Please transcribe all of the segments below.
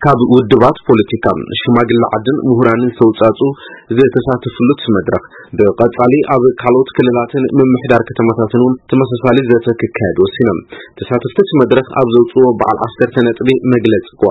ካብ ውድባት ፖለቲካ፣ ሽማግለ ዓድን ምሁራንን ዝተውጻጹ ዝተሳተፍሉ እቲ መድረኽ፣ ብቐጻሊ ኣብ ካልኦት ክልላትን ምምሕዳር ከተማታትን እውን ተመሳሳሊ ዘተ ክካየድ ወሲኖም። ተሳተፍቲ እቲ መድረኽ ኣብ ዘውጽዎ በዓል ዓሰርተ ነጥቢ መግለጺ እኳ፣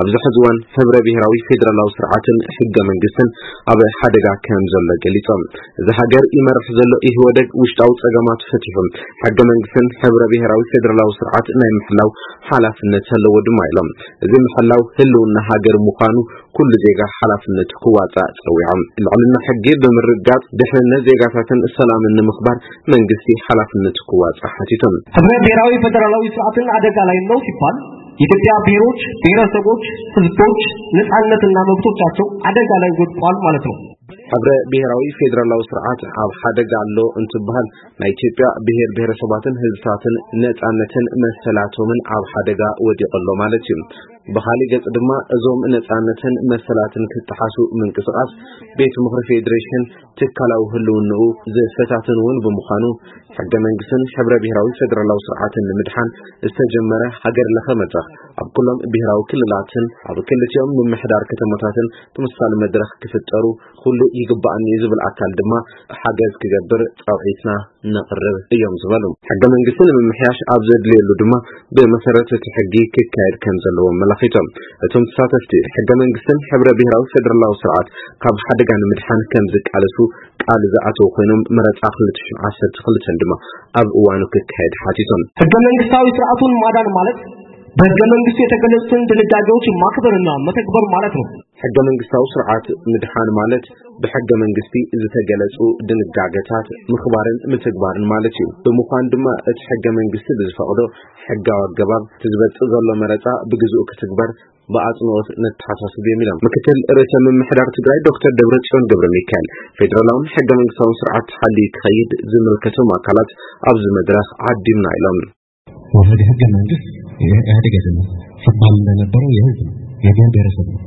ኣብዚ ሕዚ እዋን ሕብረ ብሔራዊ ፌደራላዊ ስርዓትን ሕገ መንግስትን ኣብ ሓደጋ ከም ዘሎ ገሊጾም። እዚ ሃገር ይመርሕ ዘሎ ኢህወደግ ውሽጣዊ ጸገማት ፈቲሑ፣ ሕገ መንግስትን ሕብረ ብሔራዊ ፌደራላዊ ስርዓት ናይ ምሕላው ሓላፍነት ኣለዎ ድማ ኢሎም። እዚ ምሕላው ህልውና ሃገር ምዃኑ ኩሉ ዜጋ ሓላፍነቱ ክዋጻእ ጸዊዖም። ልዕልና ሕጊ ብምርጋጽ፣ ድሕንነት ዜጋታትን ሰላምን ንምኽባር መንግስቲ ሓላፍነቱ ክዋጻእ ሓቲቶም። ሕብረ ብሔራዊ ፌደራላዊ ስርዓትን ኣደጋ ላይ ነው ሲባል የኢትዮጵያ ብሔሮች፣ ብሔረሰቦች፣ ህዝቦች ነጻነትና መብቶቻቸው አደጋ ላይ ወድቋል ማለት ነው። ሕብረ ብሔራዊ ፌደራላዊ ስርዓት ኣብ ሓደጋ ኣሎ እንትበሃል፣ ናይ ኢትዮጵያ ብሔር ብሔረሰባትን ህዝብታትን ነጻነትን መሰላቶምን ኣብ ሓደጋ ወዲቑ ኣሎ ማለት እዩ። ብኻሊእ ገጽ ድማ፣ እዞም ነጻነትን መሰላትን ክጠሓሱ ምንቅስቓስ ቤት ምኽሪ ፌዴሬሽን ትካላዊ ህልውንኡ ዘፈታትን እውን ብምዃኑ፣ ሕገ መንግስትን ሕብረ ብሔራዊ ፌደራላዊ ስርዓትን ንምድሓን ዝተጀመረ ሃገር ለኸ መድረኽ፣ ኣብ ኩሎም ብሔራዊ ክልላትን ኣብ ክልቲኦም ምምሕዳር ከተማታትን ተመሳሳሊ መድረኽ ክፍጠሩ ኩሉ ይግባኣኒ እዩ ዝብል ኣካል ድማ ሓገዝ ክገብር ጻውዒትና ነቕርብ እዮም ዝበሉ። ሕገ መንግስቲ ንምምሕያሽ ኣብ ዘድልየሉ ድማ ብመሰረት እቲ ሕጊ ክካየድ ከም ዘለዎ ኣመላኺቶም። እቶም ተሳተፍቲ፣ ሕገ መንግስትን ሕብረ ብሔራዊ ፌደራላዊ ስርዓት ካብ ሓደጋ ንምድሓን ከም ዝቃለሱ ቃል ዝኣተው ኮይኖም፣ መረጻ ክልተ ሽሕን ዓሰርተ ክልተን ድማ ኣብ እዋኑ ክካየድ ሓቲቶም። ህገ መንግስታዊ ስርዓቱን ማዳን ማለት በህገ መንግስቱ የተገለጹትን ድንጋጌዎች ማክበርና መተግበር ማለት ነው። ሕገ መንግስታዊ ስርዓት ምድሓን ማለት ብሕገ መንግስቲ ዝተገለጹ ድንጋገታት ምኽባርን ምትግባርን ማለት እዩ። ብምዃን ድማ እቲ ሕገ መንግስቲ ብዝፈቕዶ ሕጋዊ ኣገባብ እቲ ዝበጽእ ዘሎ መረጻ ብግዝኡ ክትግበር ብኣጽንኦት ነተሓሳስብ እዮም ኢሎም። ምክትል ርእሰ ምምሕዳር ትግራይ ዶክተር ደብረጽዮን ገብረ ሚካኤል፣ ፌደራላውን ሕገ መንግስታውን ስርዓት ተሓልዩ ክኸይድ ዝምልከቶም ኣካላት ኣብዚ መድረኽ ዓዲምና ኢሎም። ወረደ ህገ መንግስት ኢህአዴግ አይደለም ሲባል እንደነበረው የህዝብ ነው፣ የብሔር ብሔረሰብ ነው።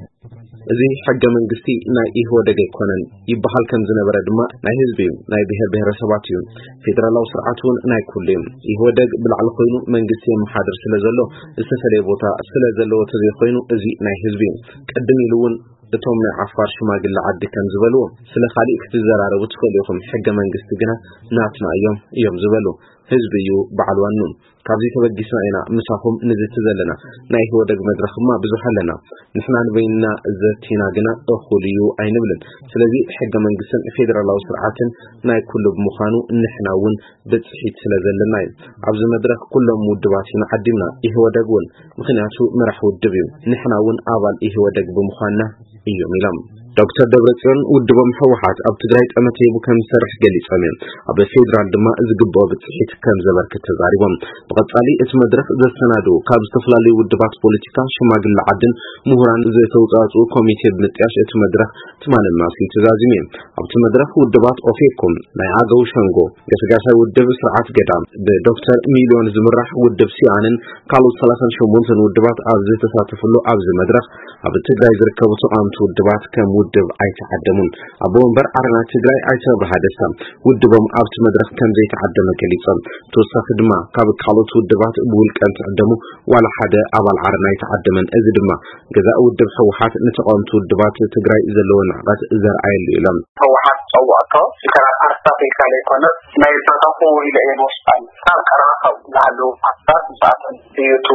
እዚ ሕገ መንግስቲ ናይ ኢህወደግ ኣይኮነን ይበሃል ከም ዝነበረ ድማ ናይ ህዝቢ እዩ፣ ናይ ብሔር ብሔረሰባት እዩ። ፌደራላዊ ስርዓት እውን ናይ ኩሉ እዩ። ኢህወደግ ብላዕሊ ኮይኑ መንግስቲ የመሓድር ስለ ዘሎ፣ ዝተፈለየ ቦታ ስለ ዘለዎ ተዘይኮይኑ፣ እዚ ናይ ህዝቢ እዩ። ቅድም ኢሉ እውን እቶም ናይ ዓፋር ሽማግለ ዓዲ ከም ዝበልዎ፣ ስለ ካሊእ ክትዘራረቡ ትኽእሉ ኢኹም፣ ሕገ መንግስቲ ግና ናትና እዮም እዮም ዝበሉ። ህዝቢ እዩ በዓል ዋኑ። ካብዚ ተበጊስና ኢና ምሳኹም ንዝቲ ዘለና። ናይ ኢህወደግ መድረኽማ ብዙሕ ኣለና። ንሕና ንበይንና ዘቲና ግና እኹል እዩ ኣይንብልን። ስለዚ ሕገ መንግስትን ፌደራላዊ ስርዓትን ናይ ኩሉ ብምዃኑ፣ ንሕና እውን ብፅሒት ስለ ዘለና እዩ። ኣብዚ መድረኽ ኩሎም ውድባት ኢና ዓዲምና፣ ኢህወደግ እውን፣ ምኽንያቱ መራሕ ውድብ እዩ። ንሕና እውን ኣባል ኢህወደግ ብምዃንና እዮም ኢሎም። ዶክተር ደብረጽዮን፣ ውድቦም ህወሓት ኣብ ትግራይ ጠመተ ሂቡ ከም ዝሰርሕ ገሊጾም እዮም። ኣብ ፌዴራል ድማ ዝግብኦ ብፅሒት ከም ዘበርክት ተዛሪቦም። ብቐጻሊ እቲ መድረኽ ዘሰናድኡ ካብ ዝተፈላለዩ ውድባት ፖለቲካ፣ ሽማግለ ዓድን ምሁራን ዝተውፃእፅኡ ኮሚቴ ብምጥያሽ እቲ መድረኽ ትማሊ ማስዩ ተዛዚሙ እዩ። ኣብቲ መድረኽ ውድባት ኦፌኮ፣ ናይ ኣገው ሸንጎ፣ ገስጋሳይ ውድብ ስርዓት ገዳ፣ ብዶክተር ሚልዮን ዝምራሕ ውድብ ሲኣንን ካልኦት ሰላሳን ሸሞንተን ውድባት ኣብ ዝተሳተፍሉ ኣብዚ መድረኽ፣ ኣብ ትግራይ ዝርከቡ ተቓወምቲ ውድባት ከም ውድብ ኣይተዓደሙን። ኣቦ ወንበር ዓረና ትግራይ ኣይተ ኣብርሃ ደስታ፣ ውድቦም ኣብቲ መድረኽ ከም ዘይተዓደመ ገሊጾም። ተወሳኺ ድማ ካብ ካልኦት ውድባት ብውልቀ እንትዕደሙ ዋላ ሓደ ኣባል ዓረና ኣይተዓደመን። እዚ ድማ ገዛእ ውድብ ህወሓት ንተቓወምቲ ውድባት ትግራይ ዘለዎ ንዕቀት ዘርኣየሉ ኢሎም። ህወሓት ጸዋዕቶ፣ እንተ ፓርትታት ኢልካ ዘይኮነስ፣ ናይ ዝተተኹ ኢለ እየ ዝወስድ። ካብ ቀረባ ካብ ዝሃለዉ ፓርትታት ምስኣተን እዩ እቲ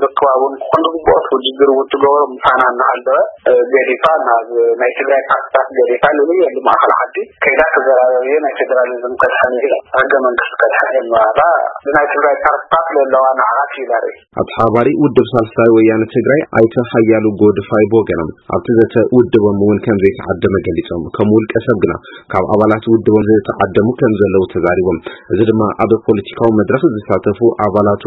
ርክባ እውን ክኾን ዝግብኦ፣ እቲ ውድድር እውን ትገብሮ ምሳና እናሃለወ፣ እ፣ ገዲፋ ናብ ናይ ትግራይ ፓርትታት ገዲፋ ልልየ ማእኸል ዓዲ ከይዳ ተዘራረብ እየ፣ ናይ ፌደራሊዝም ከድሕን እየ፣ ህገ መንግስቲ ከድሕን እየ እናበላ ብናይ ትግራይ ፓርትታት ለለዋ ንዓት እዩ ዘርኢ። ኣተሓባባሪ ውድብ ሳልሳይ ወያነ ትግራይ ኣይተ ሓያሉ ጎድፋይ ብወገኖም፣ ኣብቲ ዘተ ውድቦም እውን ከም ዘይተዓደመ ገሊጾም፣ ከም ውልቀ ሰብ ግና ካብ ኣባላት ውድቦም ዝተዓደሙ ከም ዘለዉ ተዛሪቦም። እዚ ድማ ኣብ ፖለቲካዊ መድረኽ ዝሳተፉ ኣባላቱ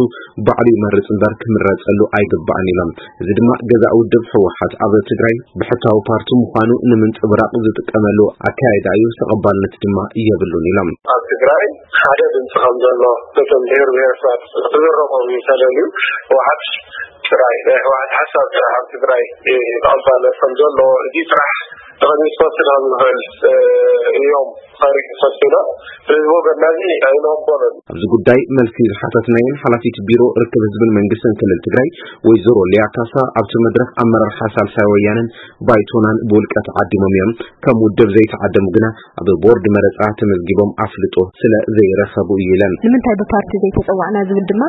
ባዕሉ ይመርጽ እምበር ክምረጸሉ ኣይግባእን ኢሎም። እዚ ድማ ገዛእ ውድብ ህወሓት ኣብ ትግራይ ብሕታዊ ፓርቲ ምዃኑ ንምንጽብራቕ ዝጥቀመሉ ኣካያይዳ እዩ፣ ተቐባልነት ድማ የብሉን ኢሎም። ኣብ ትግራይ ሓደ ድምፂ ከም ዘሎ ነቶም ብሔር ብሔረሰባት ክዝረቦም እዩ ተደልዩ። ህወሓት ጥራይ፣ ናይ ህወሓት ሓሳብ ጥራሕ ኣብ ትግራይ ተቐባልነት ከም ዘሎ፣ እዚ ጥራሕ ተቐኒስካ ስለ ዝኽእል እዮም ታሪክ ፈሲና። ስለዚ ወገንና እዚ ኣይንቕበሎን። ኣብዚ ጉዳይ መልሲ ዝሓተትናየን ሓላፊት ቢሮ ርክብ ህዝብን መንግስትን ክልል ትግራይ ወይዘሮ ሊያ ካሳ፣ ኣብቲ መድረኽ ኣመራርሓ ሳልሳይ ወያነን ባይቶናን ብውልቀ ተዓዲሞም እዮም። ከም ውድብ ዘይተዓደሙ ግና ኣብ ቦርድ መረፃ ተመዝጊቦም ኣፍልጦ ስለ ዘይረኸቡ እዩ ኢለን። ንምንታይ ብፓርቲ ዘይተፀዋዕና ዝብል ድማ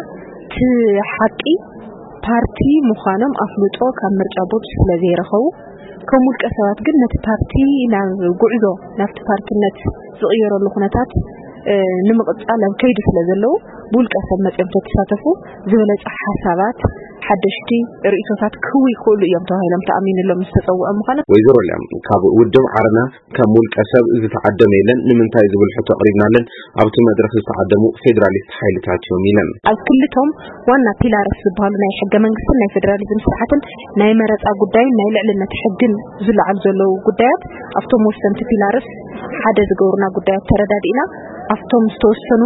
እቲ ሓቂ፣ ፓርቲ ምዃኖም ኣፍልጦ ካብ ምርጫ ቦርድ ስለ ዘይረኸቡ፣ ከም ውልቀ ሰባት ግን ነቲ ፓርቲ ናብ ጉዕዞ፣ ናብቲ ፓርትነት ዝቕየረሉ ኩነታት፣ እ፣ ንምቕጻል ኣብ ከይዲ ስለ ዘለዉ፣ ብውልቀ ሰብ መጺኦም ተተሳተፉ፣ ዝበለጸ ሓሳባት፣ ሓደሽቲ ርእይቶታት ክህቡ ይኽእሉ እዮም ተባሂሎም ተኣሚንሎም ምስ ተጸውዖም ምዃኑ። ወይዘሮ ሊያም፣ ካብ ውድብ ዓረና ከም ውልቀ ሰብ ዝተዓደመ የለን፣ ንምንታይ ዝብል ሕቶ ኣቕሪብናለን፣ ኣብቲ መድረኽ ዝተዓደሙ ፌዴራሊስት ሓይልታት እዮም ኢለን። ኣብ ክልቶም ዋና ፒላርስ ዝበሃሉ ናይ ሕገ መንግስትን ናይ ፌዴራሊዝም ስርዓትን ናይ መረፃ ጉዳይን ናይ ልዕልነት ሕግን ዝለዓሉ ዘለዉ ጉዳያት፣ ኣብቶም ወሰንቲ ፒላርስ ሓደ ዝገብሩና ጉዳያት ተረዳዲእና፣ ኣብቶም ዝተወሰኑ፣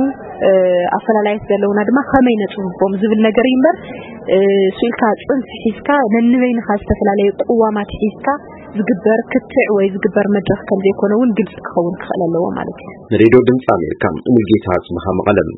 እ፣ ኣፈላላያት ዘለውና ድማ ከመይ ነፅብቦም ዝብል ነገር እዩ እምበር፣ እ፣ ስኢልካ ፅንፊ ሒዝካ ነንበይንኻ ዝተፈላለየ ቅዋማት ሒዝካ ዝግበር ክትዕ ወይ ዝግበር መድረኽ ከም ዘይኮነ እውን ግልፂ ክኸውን ክኽእል ኣለዎ ማለት እዩ። ንሬድዮ ድምፂ ኣሜሪካ ሙልጌታ ኣጽብሃ መቐለም።